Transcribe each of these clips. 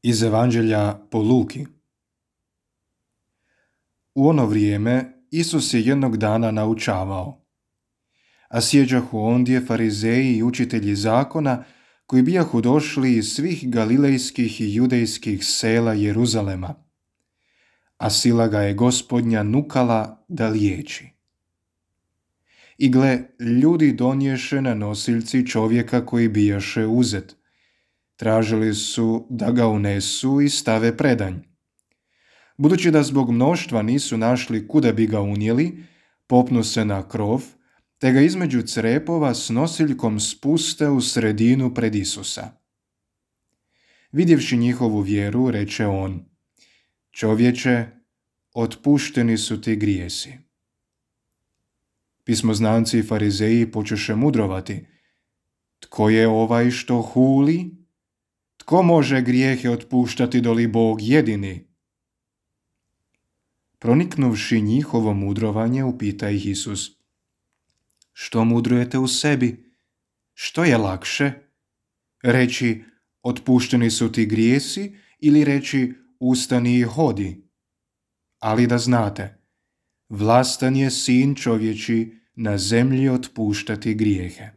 Iz Evanđelja po Luki. U ono vrijeme Isus je jednog dana naučavao, a sjeđahu ondje farizeji i učitelji zakona koji bijahu došli iz svih galilejskih i judejskih sela Jeruzalema, a sila ga je Gospodnja nukala da liječi. I gle, ljudi donješe na nosiljci čovjeka koji bijaše uzet. Tražili su da ga unesu i stave predanj. Budući da zbog mnoštva nisu našli kuda bi ga unijeli, popnu se na krov, te ga između crepova s nosiljkom spuste u sredinu pred Isusa. Vidjevši njihovu vjeru, reče on: Čovječe, otpušteni su ti grijesi. Pismoznanci i farizeji počeše mudrovati: Tko je ovaj što huli? Tko može grijehe otpuštati doli Bog jedini? Proniknuvši njihovo mudrovanje, upita ih Isus: Što mudrujete u sebi? Što je lakše? Reći: Otpušteni su ti grijesi, ili reći: Ustani i hodi? Ali da znate, vlastan je sin čovječi na zemlji otpuštati grijehe.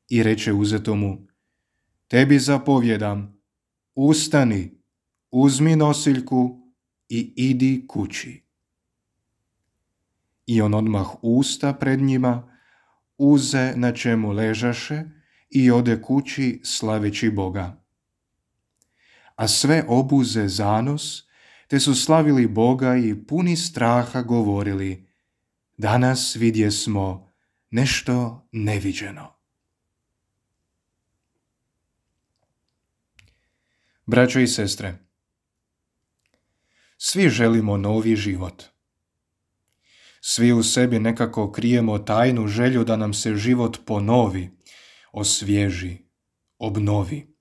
I reče uzetomu: Tebi zapovjedam, ustani, uzmi nosiljku i idi kući. I on odmah usta pred njima, uze na čemu ležaše i ode kući slaveći Boga. A sve obuze zanos, te su slavili Boga i puni straha govorili: Danas vidjesmo nešto neviđeno. Braćo i sestre, svi želimo novi život. Svi u sebi nekako krijemo tajnu želju da nam se život ponovi, osvježi, obnovi.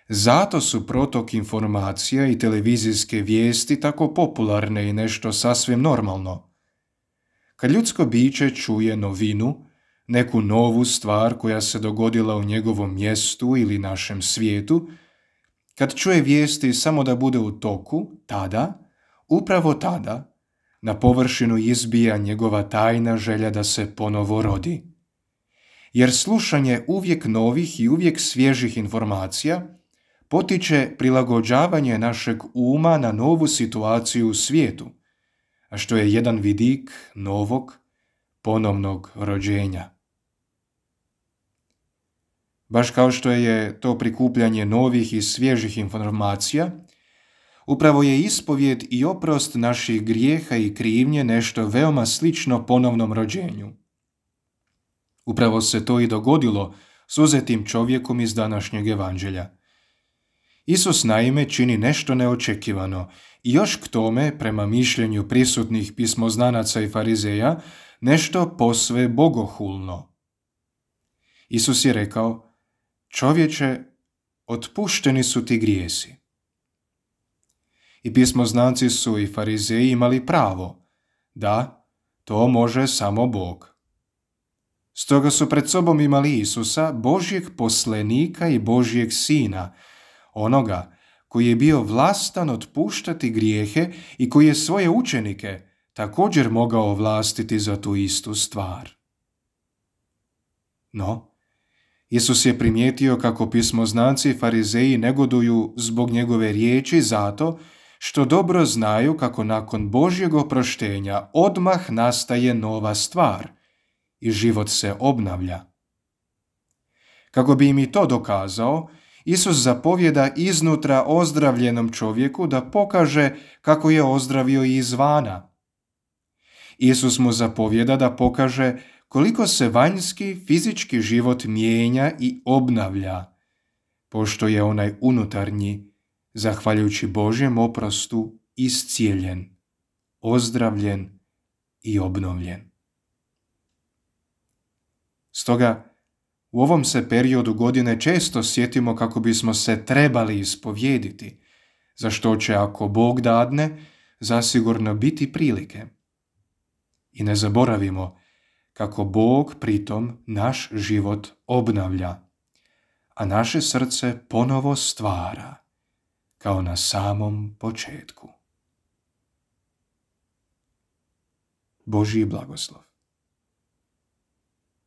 Zato su protok informacija i televizijske vijesti tako popularne i nešto sasvim normalno. Kad ljudsko biće čuje novinu, neku novu stvar koja se dogodila u njegovom mjestu ili našem svijetu, kad čuje vijesti samo da bude u toku, upravo tada, na površinu izbija njegova tajna želja da se ponovo rodi. Jer slušanje uvijek novih i uvijek svježih informacija potiče prilagođavanje našeg uma na novu situaciju u svijetu, a što je jedan vidik novog, ponovnog rođenja. Baš kao što je to prikupljanje novih i svježih informacija, upravo je ispovjed i oprost naših grijeha i krivnje nešto veoma slično ponovnom rođenju. Upravo se to i dogodilo s uzetim čovjekom iz današnjeg evanđelja. Isus naime čini nešto neočekivano i još k tome, prema mišljenju prisutnih pismoznanaca i farizeja, nešto posve bogohulno. Isus je rekao: Čovječe, otpušteni su ti grijesi. I pismoznanci su i farizeji imali pravo. Da, to može samo Bog. Stoga su pred sobom imali Isusa, Božjeg poslenika i Božjeg sina, onoga koji je bio vlastan otpuštati grijehe i koji je svoje učenike također mogao ovlastiti za tu istu stvar. No, Isus je primijetio kako pismoznanci i farizeji negoduju zbog njegove riječi zato što dobro znaju kako nakon Božjeg oproštenja odmah nastaje nova stvar i život se obnavlja. Kako bi im i to dokazao, Isus zapovjeda iznutra ozdravljenom čovjeku da pokaže kako je ozdravio i izvana. Isus mu zapovjeda da pokaže koliko se vanjski fizički život mijenja i obnavlja, pošto je onaj unutarnji, zahvaljujući Božjem oprostu, iscijeljen, ozdravljen i obnovljen. Stoga, u ovom se periodu godine često sjetimo kako bismo se trebali ispovjediti, za što će, ako Bog dadne, zasigurno biti prilike. I ne zaboravimo kako Bog pritom naš život obnavlja, a naše srce ponovo stvara, kao na samom početku. Božji blagoslov.